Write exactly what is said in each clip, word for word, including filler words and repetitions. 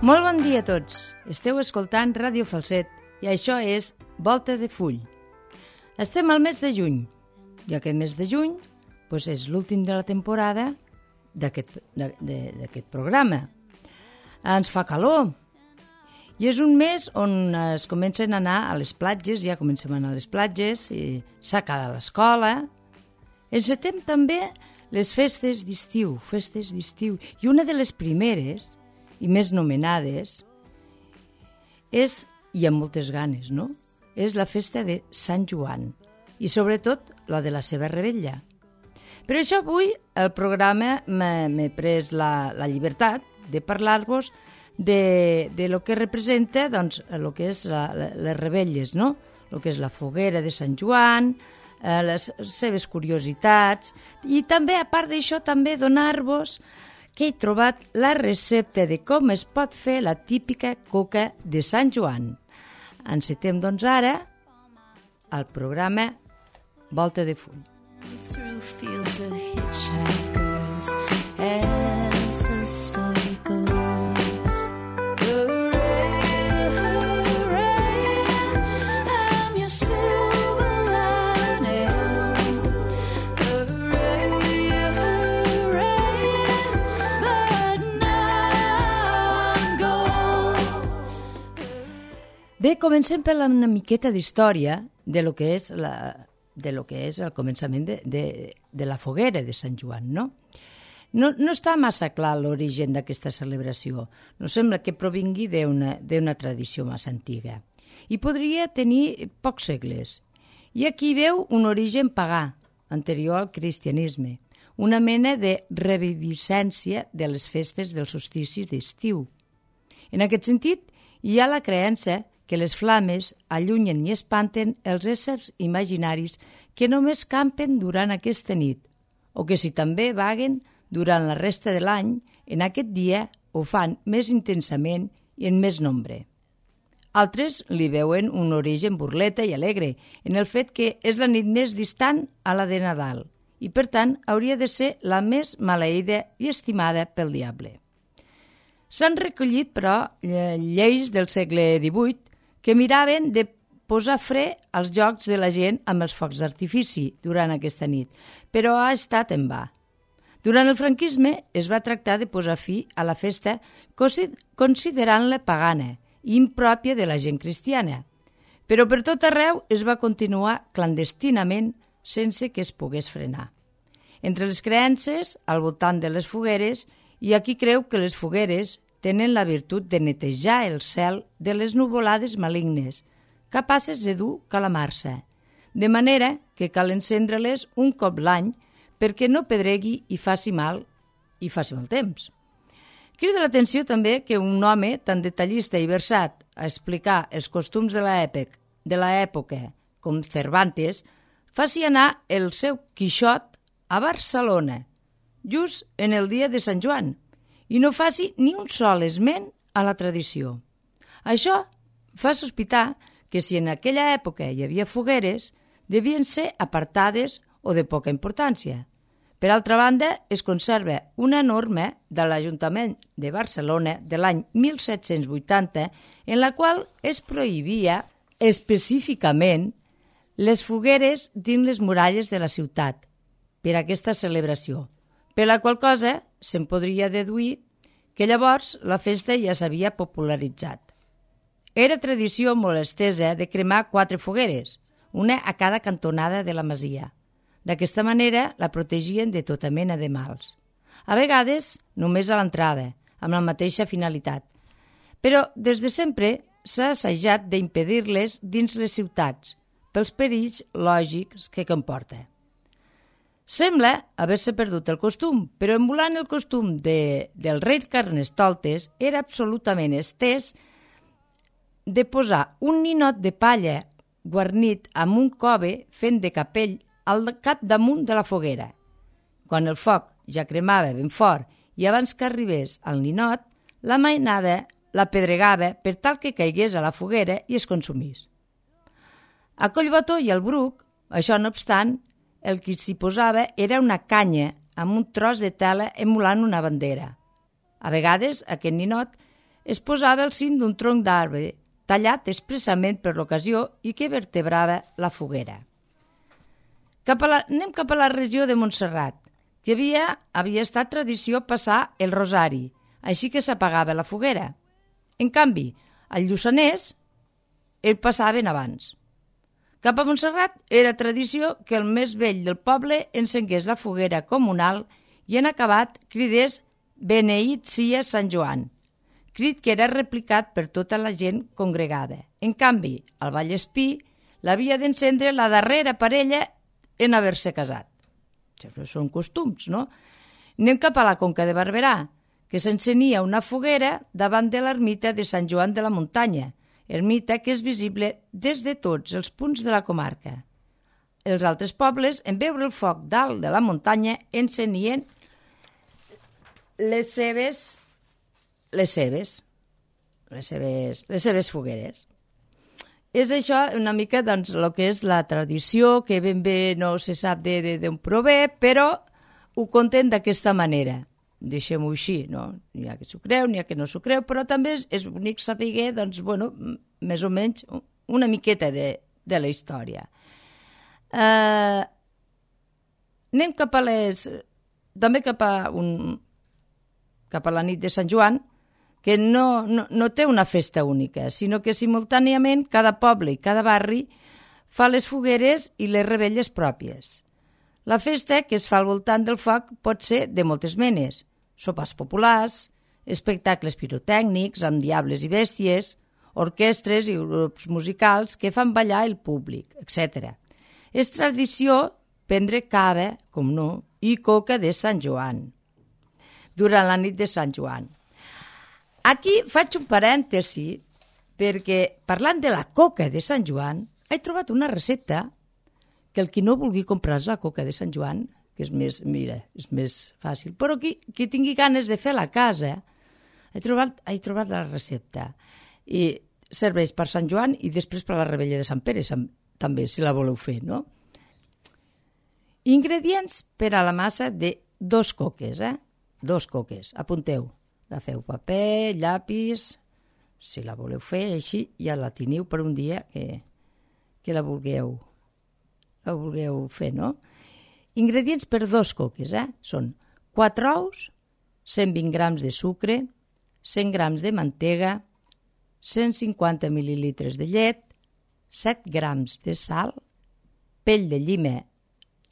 Molt bon dia a tots. Esteu escoltant Ràdio Falset i això és Volta de Full. Estem al mes de juny i aquest mes de juny doncs és l'últim de la temporada d'aquest d'aquest programa. Ens fa calor i és un mes on es comencen a anar a les platges, ja comencem a anar a les platges, i s'acaba l'escola. Encetem també les festes d'estiu, festes d'estiu. I una de les primeres i més nomenades és, i amb moltes ganes, no?, és la festa de Sant Joan i sobretot la de la seva revetlla. Per això avui el programa m'he pres la, la llibertat de parlar-vos de, de lo que representa, doncs, el que és la, la, les revetlles, no?, el que és la foguera de Sant Joan, eh, les seves curiositats, i també, a part d'això, també donar-vos que he trobat la recepta de com es pot fer la típica coca de Sant Joan. Encetem, doncs, ara el programa Volta de Full. Through fields of hitchhikers as the story goes. Hooray, hooray, I'm your silver lining. Hooray, hooray, but now I'm gone. Bé, comencem per una miqueta d'història de lo que és la... de lo que és el començament de, de, de la foguera de Sant Joan, no? No, no està massa clar l'origen d'aquesta celebració. No sembla que provingui d'una d'una tradició massa antiga. I podria tenir pocs segles. I aquí veu un origen pagà, anterior al cristianisme, una mena de reviviscència de les festes del solstici d'estiu. En aquest sentit, hi ha la creença que les flames allunyen i espanten els éssers imaginaris que només campen durant aquesta nit, o que si també vaguen durant la resta de l'any, en aquest dia ho fan més intensament i en més nombre. Altres li veuen un origen burleta i alegre, en el fet que és la nit més distant a la de Nadal, i per tant hauria de ser la més maleïda i estimada pel diable. S'han recollit, però, lleis del segle divuit que miraven de posar fre als jocs de la gent amb els focs d'artifici durant aquesta nit, però ha estat en va. Durant el franquisme es va tractar de posar fi a la festa considerant-la pagana i impròpia de la gent cristiana, però per tot arreu es va continuar clandestinament sense que es pogués frenar. Entre les creences, al voltant de les fogueres, hi ha qui creu que les fogueres tenen la virtut de netejar el cel de les nuvolades malignes, capaces de dur calamarsa, de manera que cal encendre-les un cop l'any perquè no pedregui i faci mal i faci mal temps. Crida l'atenció també que un home tan detallista i versat a explicar els costums de l'època, de l'època com Cervantes, faci anar el seu Quixot a Barcelona, just en el dia de Sant Joan, i no faci ni un sol esment a la tradició. Això fa sospitar que si en aquella època hi havia fogueres, devien ser apartades o de poca importància. Per altra banda, es conserva una norma de l'Ajuntament de Barcelona de l'any mil set-cents vuitanta en la qual es prohibia específicament les fogueres dins les muralles de la ciutat per a aquesta celebració, per la qual cosa se'n podria deduir que llavors la festa ja s'havia popularitzat. Era tradició molt estesa de cremar quatre fogueres, una a cada cantonada de la masia. D'aquesta manera la protegien de tota mena de mals. A vegades només a l'entrada, amb la mateixa finalitat. Però des de sempre s'ha assajat d'impedir-les dins les ciutats, pels perills lògics que comporta. Sembla haver-se perdut el costum, però emulant el costum de, del rei Carnestoltes era absolutament estès de posar un ninot de palla guarnit amb un cove fent de capell al capdamunt de la foguera. Quan el foc ja cremava ben fort i abans que arribés al ninot, la mainada la pedregava per tal que caigués a la foguera i es consumís. A Collbató i al Bruc, això no obstant, el que s'hi posava era una canya amb un tros de tela emulant una bandera. A vegades aquest ninot es posava al cim d'un tronc d'arbre, tallat expressament per l'ocasió i que vertebrava la foguera. Cap a la, anem cap a la regió de Montserrat, que havia, havia estat tradició passar el rosari, així que s'apagava la foguera. En canvi, al Lluçanès el passaven abans. Cap a Montserrat era tradició que el més vell del poble encengués la foguera comunal i en acabat cridés «Beneït sia Sant Joan», crit que era replicat per tota la gent congregada. En canvi, al Vallespí l'havia d'encendre la darrera parella en haver-se casat. Això són costums, no? Anem cap a la Conca de Barberà, que s'encenia una foguera davant de l'ermita de Sant Joan de la Muntanya, ermita que és visible des de tots els punts de la comarca. Els altres pobles, en veure el foc dalt de la muntanya, encenien les seves, les seves, les seves, les seves fogueres. És això una mica doncs, el que és la tradició, que ben bé no se sap d'on prové, però ho conten d'aquesta manera. Deixem-ho així, no? N'hi ha que s'ho creu, n'hi ha que no s'ho creu, però també és, és bonic saber, doncs, bueno, més o menys una miqueta de, de la història. Uh, anem cap a les... també cap a, un, cap a la nit de Sant Joan, que no, no, no té una festa única, sinó que simultàniament cada poble i cada barri fa les fogueres i les revetlles pròpies. La festa que es fa al voltant del foc pot ser de moltes menes, sopars populars, espectacles pirotècnics amb diables i bèsties, orquestres i grups musicals que fan ballar el públic, etcètera. És tradició prendre cava, com no, i coca de Sant Joan, durant la nit de Sant Joan. Aquí faig un parèntesi perquè, parlant de la coca de Sant Joan, he trobat una recepta que el qui no vulgui comprar la coca de Sant Joan, que és més, mira, és més fàcil, però qui, qui tingui ganes de fer a la casa, he trobat, he trobat la recepta. I serveix per Sant Joan i després per la revetlla de Sant Pere, també, si la voleu fer, no? Ingredients per a la massa de dos coques, eh? Dos coques, apunteu. Agafeu paper, llapis, si la voleu fer així, ja la teniu per un dia que, que la vulgueu, la vulgueu fer, no? Ingredients per dos coques, eh? Són quatre ous, cent vint grams de sucre, cent grams de mantega, cent cinquanta mil·lilitres de llet, set grams de sal, pell de llima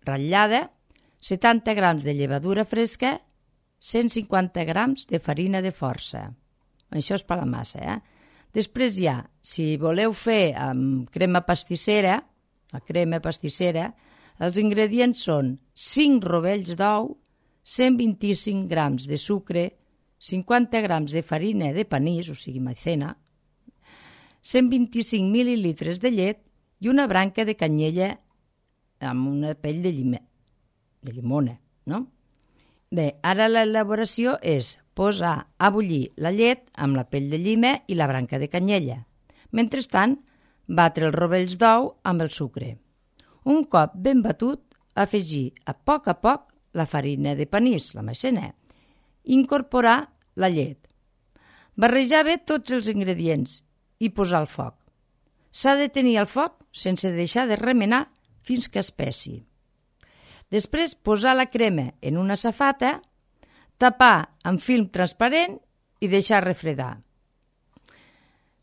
ratllada, setanta grams de llevadura fresca, cent cinquanta grams de farina de força. Això és per la massa, eh? Després hi ha, si voleu fer amb crema pastissera, la crema pastissera, els ingredients són cinc rovells d'ou, cent vint-i-cinc grams de sucre, cinquanta grams de farina de panís, o sigui maicena, cent vint-i-cinc mil·lilitres de llet i una branca de canyella amb una pell de, llima, de llimona, no? Bé, ara l'elaboració és posar a bullir la llet amb la pell de llima i la branca de canyella. Mentrestant, batre els rovells d'ou amb el sucre. Un cop ben batut, afegir a poc a poc la farina de panís, la maicena, i incorporar la llet. Barrejar bé tots els ingredients i posar al foc. S'ha de tenir al foc sense deixar de remenar fins que espessi. Després, posar la crema en una safata, tapar amb film transparent i deixar refredar.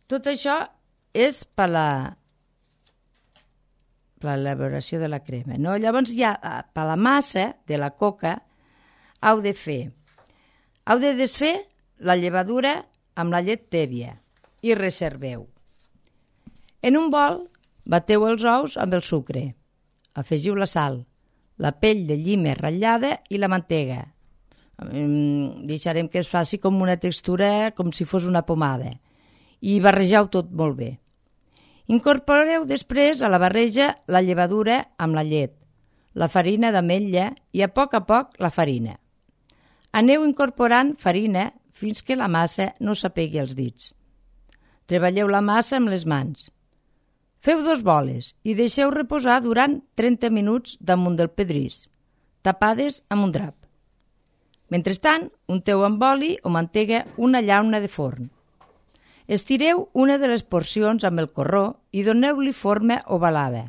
Tot això és per la per l'elaboració de la crema, no? Llavors, ja per la massa de la coca, heu de fer, heu de desfer la llevadura amb la llet tèbia i reserveu. En un bol, bateu els ous amb el sucre, afegiu la sal, la pell de llima ratllada i la mantega. Deixarem que es faci com una textura, com si fos una pomada, i barregeu tot molt bé. Incorporeu després a la barreja la llevadura amb la llet, la farina d'ametlla i a poc a poc la farina. Aneu incorporant farina fins que la massa no s'apegui als dits. Treballeu la massa amb les mans. Feu dos boles i deixeu reposar durant trenta minuts damunt del pedrís, tapades amb un drap. Mentrestant, unteu amb oli o mantega una llauna de forn. Estireu una de les porcions amb el corró i doneu-li forma ovalada.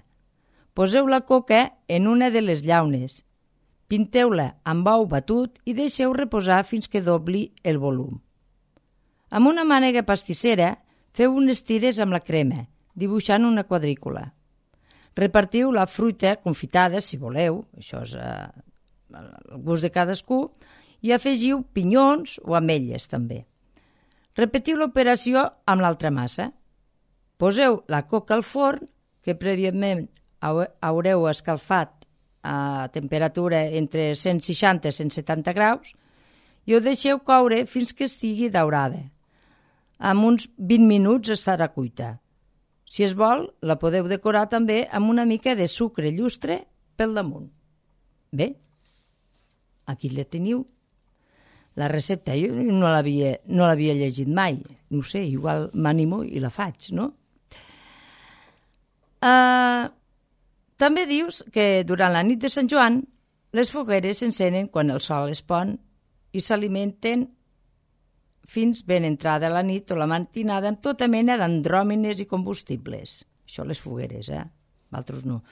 Poseu la coca en una de les llaunes. Pinteu-la amb ou batut i deixeu reposar fins que dobli el volum. Amb una mànega pastissera feu unes tires amb la crema, dibuixant una quadrícula. Repartiu la fruita confitada, si voleu, això és eh, el gust de cadascú, i afegiu pinyons o ametlles també. Repetiu l'operació amb l'altra massa. Poseu la coca al forn, que prèviament haureu escalfat a temperatura entre cent seixanta i cent setanta graus, i ho deixeu coure fins que estigui daurada. En uns vint minuts estarà cuita. Si es vol, la podeu decorar també amb una mica de sucre llustre pel damunt. Bé, aquí la teniu. La recepta jo no l'havia no l'havia llegit mai. No sé, igual m'animo i la faig, no? Uh, també dius que durant la nit de Sant Joan les fogueres s'encenen quan el sol es pon i s'alimenten fins ben entrada la nit o la matinada amb tota mena d'andròmines i combustibles. Això les fogueres, eh? Altres no.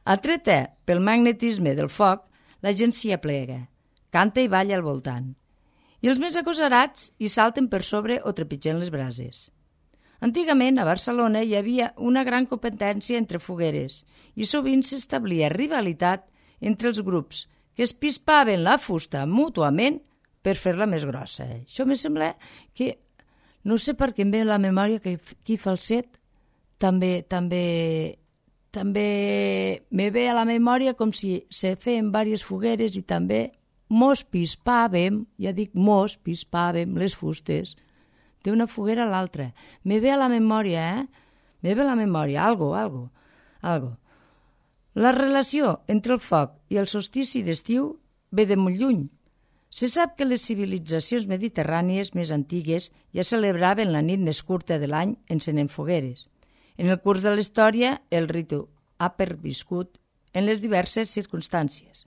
Atreta pel magnetisme del foc, la gent s'hi aplega, canta i balla al voltant. I els més agosarats hi salten per sobre o trepitgen les brases. Antigament, a Barcelona, hi havia una gran competència entre fogueres i sovint s'establia rivalitat entre els grups que es pispaven la fusta mútuament per fer-la més grossa. Això me sembla que, no sé per què em ve a la memòria que aquí Falset també, també, també me ve a la memòria com si se feien diverses fogueres i també mos pispàvem, ja dic mos pispàvem les fustes d'una foguera a l'altra. Me ve a la memòria, eh? Me ve a la memòria, algo, algo, algo. La relació entre el foc i el solstici d'estiu ve de molt lluny. Se sap que les civilitzacions mediterrànies més antigues ja celebraven la nit més curta de l'any encenent fogueres. En el curs de la història, el ritu ha perviscut en les diverses circumstàncies.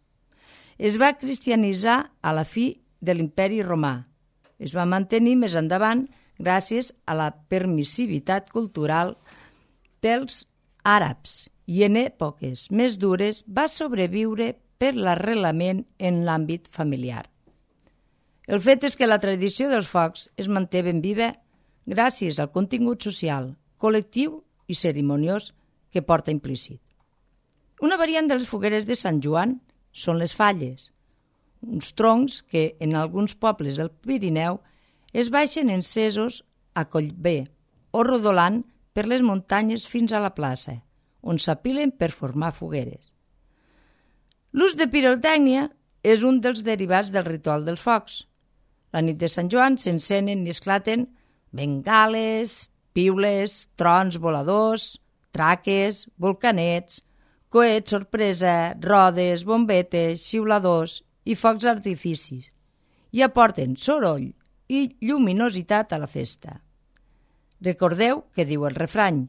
Es va cristianitzar a la fi de l'imperi romà. Es va mantenir més endavant gràcies a la permissivitat cultural dels àrabs i en èpoques més dures va sobreviure per l'arrelament en l'àmbit familiar. El fet és que la tradició dels focs es manté ben viva gràcies al contingut social, col·lectiu i cerimoniós que porta implícit. Una variant de les fogueres de Sant Joan són les falles, uns troncs que en alguns pobles del Pirineu es baixen encesos a Collbé o rodolant per les muntanyes fins a la plaça, on s'apilen per formar fogueres. L'ús de pirotècnia és un dels derivats del ritual dels focs. La nit de Sant Joan s'encenen i esclaten bengales, piules, trons voladors, traques, volcanets, coets sorpresa, rodes, bombetes, xiuladors i focs artificis, i aporten soroll i lluminositat a la festa. Recordeu que diu el refrany: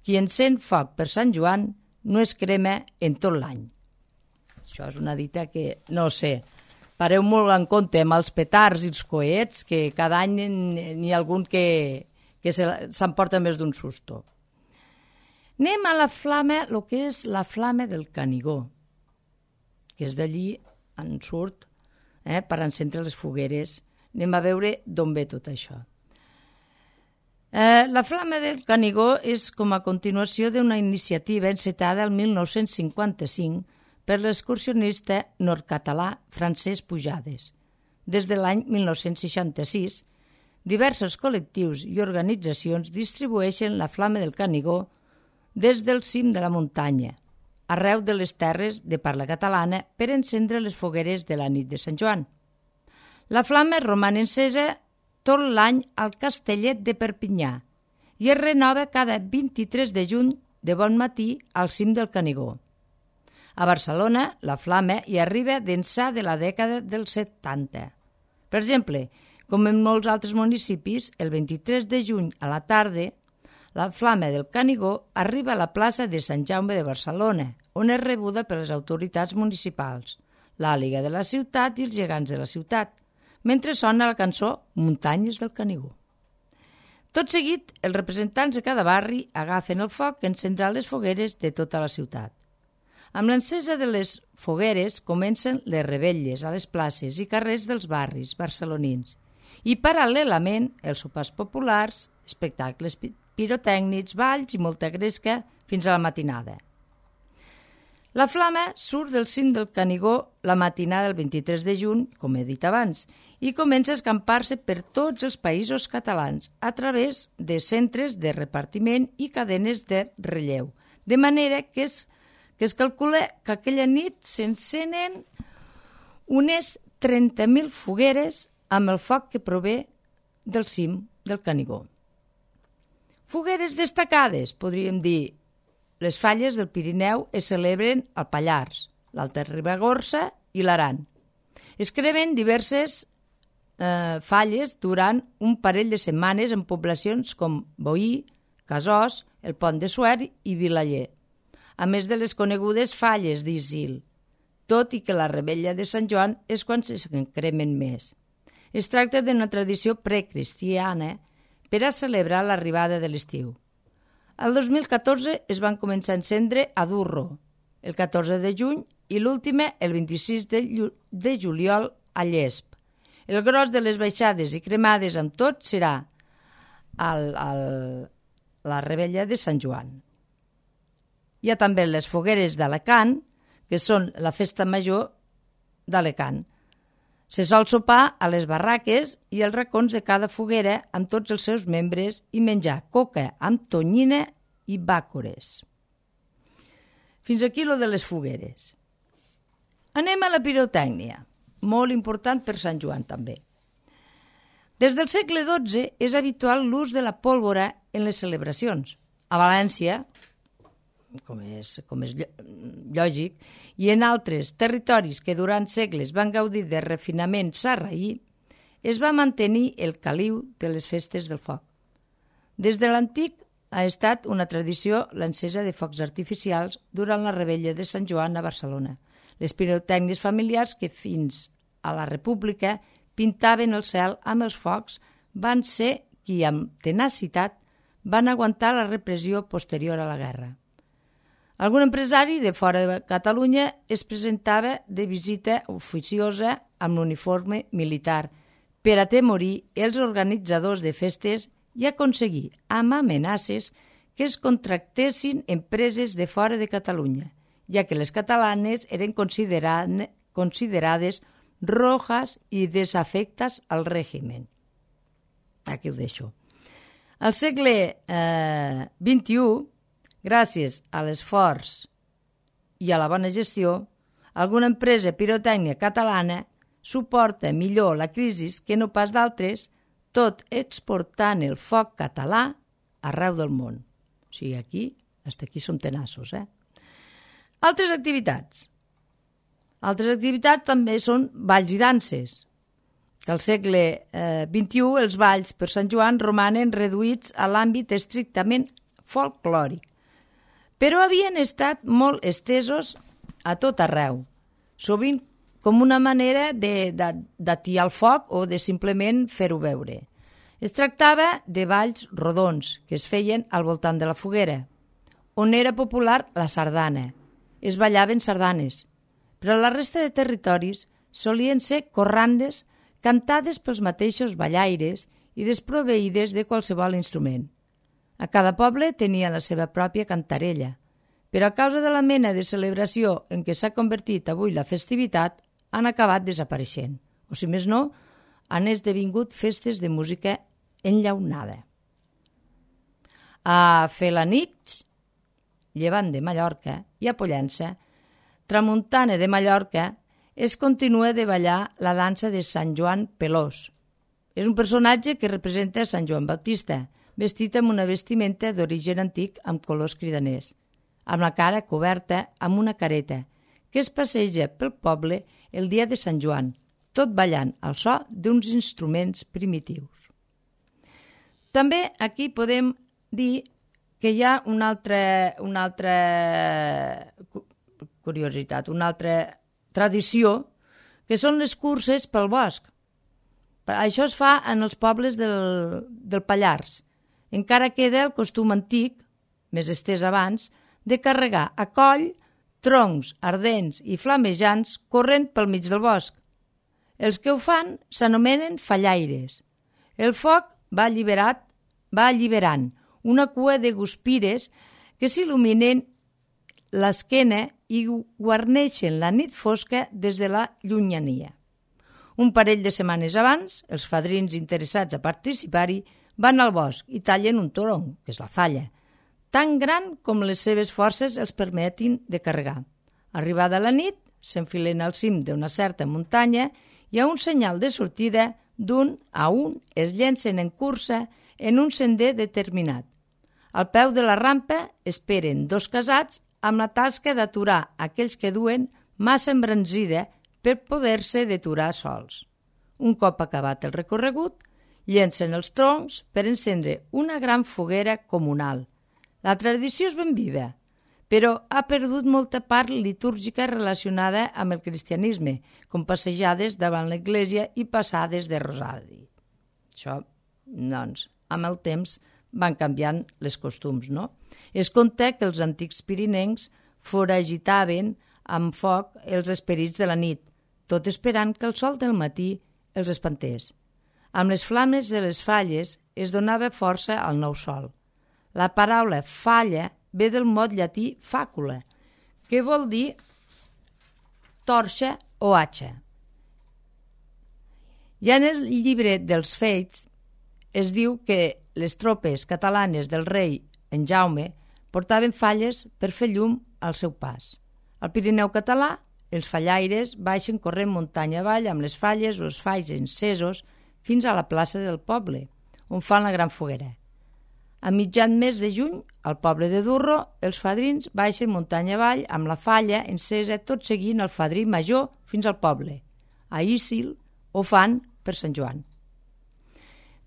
qui encén foc per Sant Joan no es crema en tot l'any. Això és una dita que, no sé, pareu molt en compte amb els petards i els coets, que cada any n'hi ha algun que, que s'emporta més d'un susto. Anem a la flama, el que és la flama del Canigó, que és d'allí en surt eh, per encendre les fogueres. Anem a veure d'on ve tot això. Eh, la flama del Canigó és com a continuació d'una iniciativa encetada el mil nou-cents cinquanta-cinc per l'excursionista nord-català Francesc Pujades. Des de l'any mil nou-cents seixanta-sis, diversos col·lectius i organitzacions distribueixen la flama del Canigó des del cim de la muntanya, arreu de les terres de parla catalana, per encendre les fogueres de la nit de Sant Joan. La flama roman encesa tot l'any al Castellet de Perpinyà i es renova cada vint-i-tres de juny de bon matí al cim del Canigó. A Barcelona, la flama hi arriba d'ençà de la dècada dels setanta. Per exemple, com en molts altres municipis, el vint-i-tres de juny a la tarda, la flama del Canigó arriba a la plaça de Sant Jaume de Barcelona, on és rebuda per les autoritats municipals, l'àliga de la ciutat i els gegants de la ciutat, mentre sona la cançó Muntanyes del Canigó. Tot seguit, els representants de cada barri agafen el foc que encendrà les fogueres de tota la ciutat. Amb l'encesa de les fogueres comencen les revetlles a les places i carrers dels barris barcelonins i, paral·lelament, els sopars populars, espectacles pirotècnics, balls i molta gresca fins a la matinada. La flama surt del cim del Canigó la matinada del vint-i-tres de juny, com he dit abans, i comença a escampar-se per tots els països catalans a través de centres de repartiment i cadenes de relleu, de manera que es, que es calcula que aquella nit s'encenen unes trenta mil fogueres amb el foc que prové del cim del Canigó. Fogueres destacades, podríem dir. Les falles del Pirineu es celebren al Pallars, l'Alta Ribagorça i l'Aran. Es cremen diverses eh, falles durant un parell de setmanes en poblacions com Boí, Casós, el Pont de Suert i Vilaller, a més de les conegudes falles d'Isil, tot i que la Revetlla de Sant Joan és quan se cremen més. Es tracta d'una tradició precristiana per a celebrar l'arribada de l'estiu. El dos mil catorze es van començar a encendre a Durro, el catorze de juny, i l'última el vint-i-sis de, de juliol a Llesp. El gros de les baixades i cremades amb tot serà al, al, la Revetlla de Sant Joan. Hi ha també les fogueres d'Alacant, que són la festa major d'Alacant. Se sol sopar a les barraques i als racons de cada foguera amb tots els seus membres i menjar coca amb tonyina i bàcores. Fins aquí lo de les fogueres. Anem a la pirotècnia, molt important per Sant Joan també. Des del segle dotze és habitual l'ús de la pólvora en les celebracions. A València, com és, com és lògic, i en altres territoris que durant segles van gaudir de refinament sarraí, es va mantenir el caliu de les festes del foc. Des de l'antic ha estat una tradició l'encesa de focs artificials durant la Revetlla de Sant Joan a Barcelona. Les pirotècnies familiars que fins a la República pintaven el cel amb els focs van ser qui, amb tenacitat, van aguantar la repressió posterior a la guerra. Algun empresari de fora de Catalunya es presentava de visita oficiosa amb l'uniforme militar per atemorir els organitzadors de festes i aconseguir, amb amenaces, que es contractessin empreses de fora de Catalunya, ja que les catalanes eren considerades rojas i desafectes al règim. Aquí ho deixo. Al segle eh, vint-i-u, gràcies a l'esforç i a la bona gestió, alguna empresa pirotècnia catalana suporta millor la crisi que no pas d'altres, tot exportant el foc català arreu del món. O sigui, aquí, fins aquí som tenaços, eh? Altres activitats. Altres activitats també són balls i danses. Al segle eh, vint-i-u, els balls per Sant Joan romanen reduïts a l'àmbit estrictament folclòric, però havien estat molt estesos a tot arreu, sovint com una manera d'atiar el foc o de simplement fer-ho veure. Es tractava de balls rodons que es feien al voltant de la foguera, on era popular la sardana. Es ballaven sardanes, però a la resta de territoris solien ser corrandes cantades pels mateixos ballaires i desproveïdes de qualsevol instrument. A cada poble tenia la seva pròpia cantarella, però a causa de la mena de celebració en què s'ha convertit avui la festivitat, han acabat desapareixent, o si més no, han esdevingut festes de música enllaunada. A Felanitx, llevant de Mallorca, i a Pollença, tramuntana de Mallorca, es continua de ballar la dansa de Sant Joan Pelós. És un personatge que representa Sant Joan Baptista, vestit amb una vestimenta d'origen antic amb colors cridaners, amb la cara coberta amb una careta, que es passeja pel poble el dia de Sant Joan, tot ballant al so d'uns instruments primitius. També aquí podem dir que hi ha una altra, una altra curiositat, una altra tradició, que són les curses pel bosc. Això es fa en els pobles del, del Pallars. encara queda el costum antic, més estès abans, de carregar a coll troncs ardents i flamejants corrent pel mig del bosc. Els que ho fan s'anomenen fallaires. El foc va, alliberat, va alliberant una cua de guspires que s'il·luminen l'esquena i guarneixen la nit fosca des de la llunyania. Un parell de setmanes abans, els fadrins interessats a participar-hi van al bosc i tallen un tronc, que és la falla, tan gran com les seves forces els permetin de carregar. Arribada la nit, s'enfilen al cim d'una certa muntanya i a un senyal de sortida, d'un a un es llencen en cursa en un sender determinat. Al peu de la rampa esperen dos casats amb la tasca d'aturar aquells que duen massa embranzida per poder-se deturar sols. Un cop acabat el recorregut, llencen els troncs per encendre una gran foguera comunal. La tradició és ben viva, però ha perdut molta part litúrgica relacionada amb el cristianisme, com passejades davant l'església i passades de rosari. Això, doncs, amb el temps van canviant les costums, no? Es conta que els antics pirinencs foragitaven amb foc els esperits de la nit, tot esperant que el sol del matí els espantés. Amb les flames de les falles es donava força al nou sol. La paraula falla ve del mot llatí fàcula, que vol dir torxa o atxa. Ja en el llibre dels Fets es diu que les tropes catalanes del rei en Jaume portaven falles per fer llum al seu pas. Al Pirineu català, els fallaires baixen corrent muntanya avall amb les falles o els falls encesos fins a la plaça del poble, on fan la gran foguera. A mitjan mes de juny, al poble de Durro, els fadrins baixen muntanya avall amb la falla encesa tot seguint el fadrí major fins al poble. A Ísil ho fan per Sant Joan.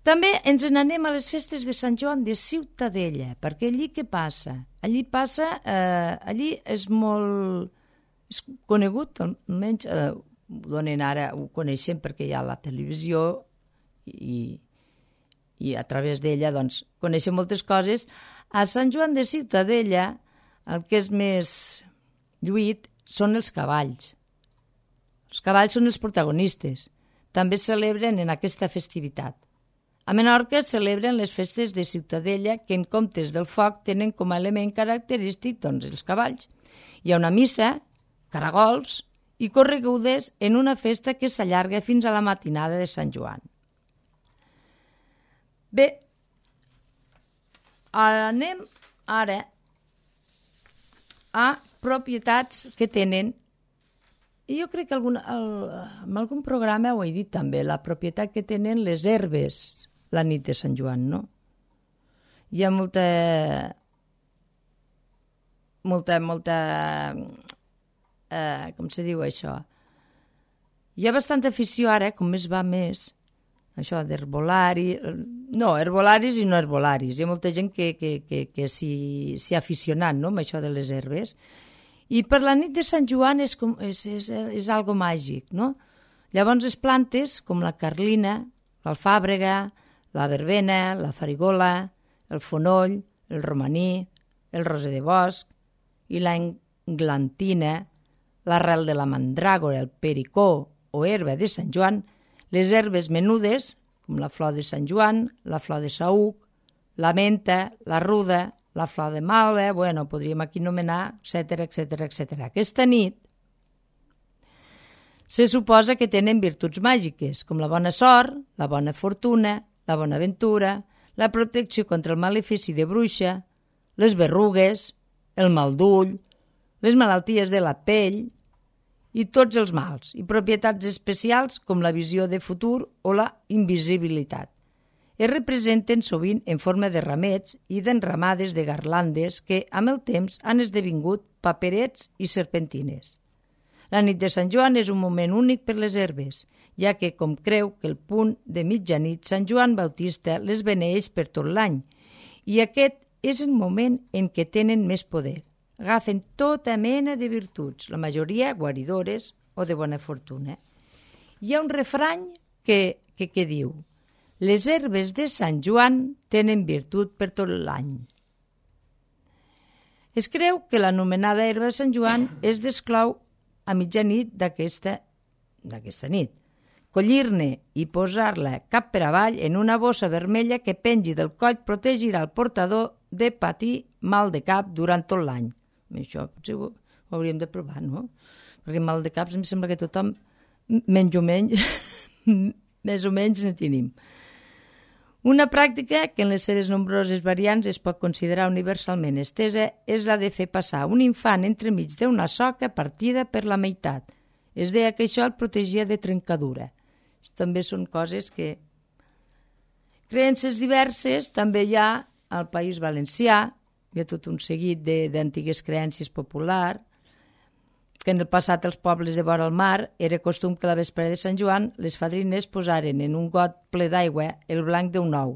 També ens n'anem a les festes de Sant Joan de Ciutadella, perquè allí què passa? Allí passa, eh, allí és molt és conegut, almenys eh, ho donen ara, ho coneixem perquè hi ha la televisió i, i a través d'ella doncs, coneixem moltes coses. A Sant Joan de Ciutadella el que és més lluït són els cavalls. Els cavalls són els protagonistes. També es celebren en aquesta festivitat. A Menorca es celebren les festes de Ciutadella que en comptes del foc tenen com a element característic doncs, els cavalls. Hi ha una missa, caragols i corregudes en una festa que s'allarga fins a la matinada de Sant Joan. Bé, anem ara a propietats que tenen, i jo crec que algun, el, en algun programa ho he dit també, la propietat que tenen les herbes la nit de Sant Joan, no? Hi ha molta, molta, molta, eh, com se diu això? Hi ha bastanta afició ara, com més va més, això d'herbolari, no, herbolaris i no herbolaris. Hi ha molta gent que, que, que, que s'hi ha aficionat, no?, amb això de les herbes. I per la nit de Sant Joan és, com, és, és, és algo màgic, no? Llavors les plantes, com la carlina, l'alfàbrega, la verbena, la farigola, el fonoll, el romaní, el roser de bosc i la englantina, l'arrel de la mandràgora, el pericó o herba de Sant Joan, les herbes menudes, com la flor de Sant Joan, la flor de saüc, la menta, la ruda, la flor de malva, bueno, podríem aquí anomenar, etcètera, etcètera, etcètera. Aquesta nit se suposa que tenen virtuts màgiques, com la bona sort, la bona fortuna, la bona ventura, la protecció contra el malefici de bruixa, les berrugues, el mal d'ull, les malalties de la pell i tots els mals, i propietats especials com la visió de futur o la invisibilitat. Es representen sovint en forma de ramets i d'enramades de garlandes que, amb el temps, han esdevingut paperets i serpentines. La nit de Sant Joan és un moment únic per les herbes, ja que, com creu que el punt de mitjanit, Sant Joan Bautista les beneeix per tot l'any, i aquest és el moment en què tenen més poder. Agafen tota mena de virtuts, la majoria guaridores o de bona fortuna. Hi ha un refrany que, que, que diu: Les herbes de Sant Joan tenen virtut per tot l'any. Es creu que l'anomenada herba de Sant Joan es desclou a mitjanit d'aquesta, d'aquesta nit. Collir-ne i posar-la cap per avall en una bossa vermella que pengi del coll protegirà el portador de patir mal de cap durant tot l'any. Això potser ho, ho hauríem de provar, no? Perquè mal de caps em sembla que tothom, menys o menys, més o menys ne tenim. Una pràctica que en les seves nombroses variants es pot considerar universalment estesa és la de fer passar un infant entremig d'una soca partida per la meitat. Es deia que això el protegia de trencadura. També són coses que... Creences diverses també hi ha al País Valencià, hi ha tot un seguit d'antigues creences populars, que en el passat els pobles de vora el mar era costum que la vesprada de Sant Joan les fadrines posaren en un got ple d'aigua el blanc d'un ou.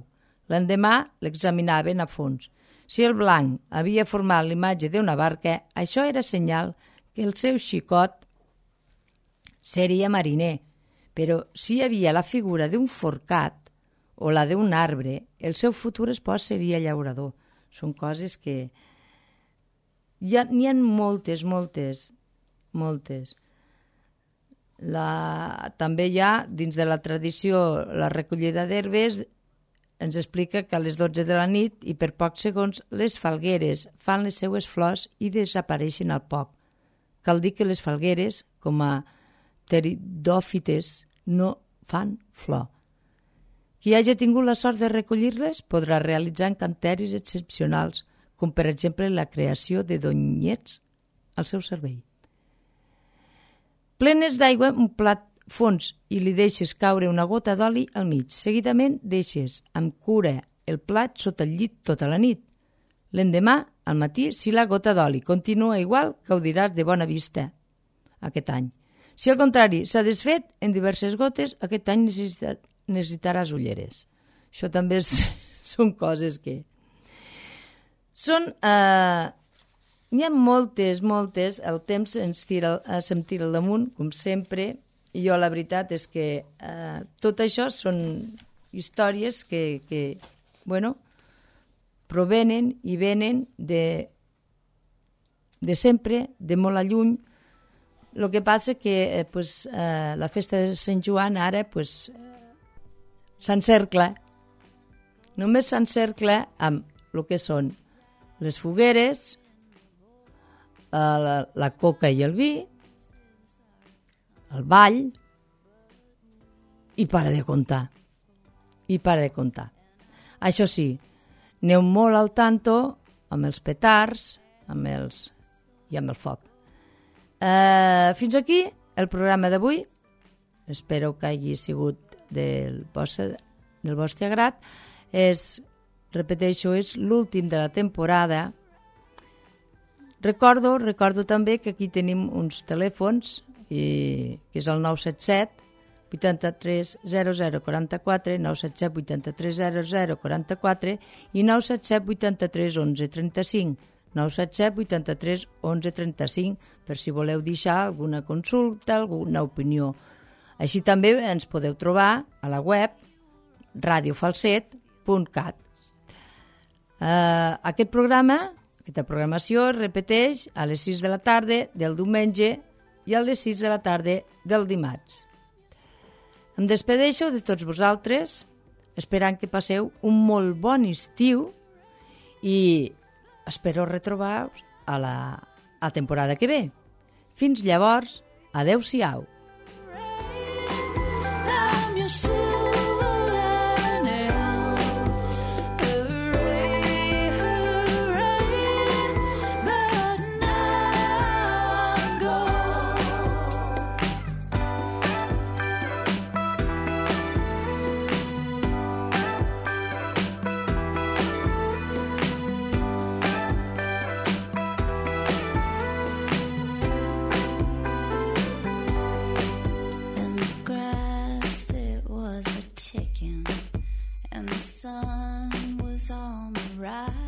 L'endemà l'examinaven a fons. Si el blanc havia format l'imatge d'una barca, això era senyal que el seu xicot seria mariner, però si hi havia la figura d'un forcat o la d'un arbre, el seu futur espòs seria llaurador. Són coses que... N'hi ha, ha moltes, moltes... moltes. La... També hi ha, dins de la tradició, la recollida d'herbes ens explica que a les dotze de la nit i per pocs segons les falgueres fan les seues flors i desapareixen al poc. Cal dir que les falgueres, com a pteridòfites, no fan flor. Qui hagi tingut la sort de recollir-les podrà realitzar encanteris excepcionals, com per exemple la creació de donyets al seu servei. Plenes d'aigua un plat fons i li deixes caure una gota d'oli al mig. Seguidament deixes amb cura el plat sota el llit tota la nit. L'endemà, al matí, si la gota d'oli continua igual, gaudiràs de bona vista aquest any. Si al contrari s'ha desfet en diverses gotes, aquest any necessita, necessitaràs ulleres. Això també és, són coses que... Són... Eh, N'hi ha moltes, moltes, el temps ens tira, se'm tira al damunt, com sempre, i jo la veritat és que eh, tot això són històries que, que bueno, provenen i venen de, de sempre, de molt a lluny. El que passa que eh, pues, eh, la festa de Sant Joan ara pues, s'encercla, només s'encercla amb el que són les fogueres, La, la coca i el vi, el ball, i para de comptar. I para de comptar. Això sí, aneu molt al tanto amb els petards amb els, i amb el foc. Eh, fins aquí el programa d'avui. Espero que hagi sigut del vostre, del vostre agrat. És, repeteixo, és l'últim de la temporada. Recordo, recordo també que aquí tenim uns telèfons, i, que és el nou set set, vuitanta-tres zero zero quaranta-quatre, nou set set vuitanta-tres zero zero quaranta-quatre i nou set set vuitanta-tres onze trenta-cinc, nou set set vuitanta-tres onze trenta-cinc, per si voleu deixar alguna consulta, alguna opinió. Així també ens podeu trobar a la web radio falset punt cat. Uh, aquest programa... Aquesta programació es repeteix a les sis de la tarda del diumenge i a les sis de la tarda del dimarts. Em despedeixo de tots vosaltres, esperant que passeu un molt bon estiu i espero retrobar-vos a la a temporada que ve. Fins llavors, adeu-siau. sun was on the rise.